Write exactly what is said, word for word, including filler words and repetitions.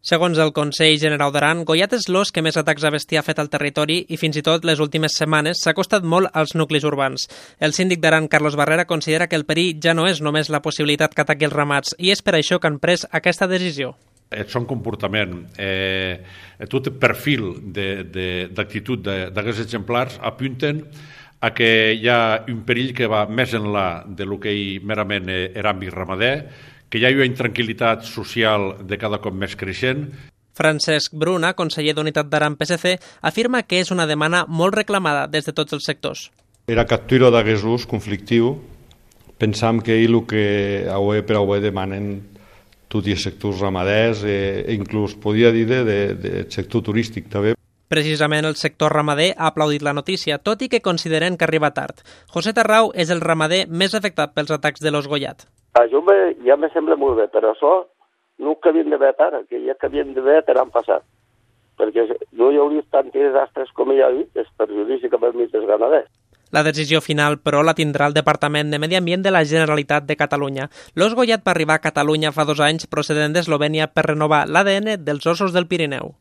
Segons el Consell General d'Aran, Goiat és l'os que més atacs a bestiar ha fet al territori i fins i tot les últimes setmanes s'ha acostat molt als nuclis urbans. El síndic d'Aran, Carlos Barrera, considera que el perill ja no és només la possibilitat que ataqui els ramats i és per això que han pres aquesta decisió. El son comportament, eh, tot el perfil d'actitud d'aquests exemplars apunten a que hi ha un perill que va més enllà del que merament era àmbit ramader, que hi ha una intranquil·litat social de cada cop més creixent. Francesc Bruna, conseller d'Unitat d'Aran P S C, afirma que és una demanda molt reclamada des de tots els sectors. Era captura d'aquest ús conflictiu, pensam que el que avui per avui demanen tots els sectors ramaders e inclús podia dir del sector turístic també. Precisament el sector ramader ha aplaudit la notícia, tot i que consideren que arriba tard. José Tarrau és el ramader més afectat pels atacs de l'os Goiat. Això ja me sembla molt bé, però això no que havien d'haver ara, que ja que havien d'haver l'any passat. Perquè no hi hauria tants desastres com hi ha dit, és perjudici cap als mitjans ramaders. La decisió final, però, la tindrà el Departament de Medi Ambient de la Generalitat de Catalunya. L'os Goiat va arribar a Catalunya fa dos anys procedent d'Eslovènia per renovar l'A D N dels ossos del Pirineu.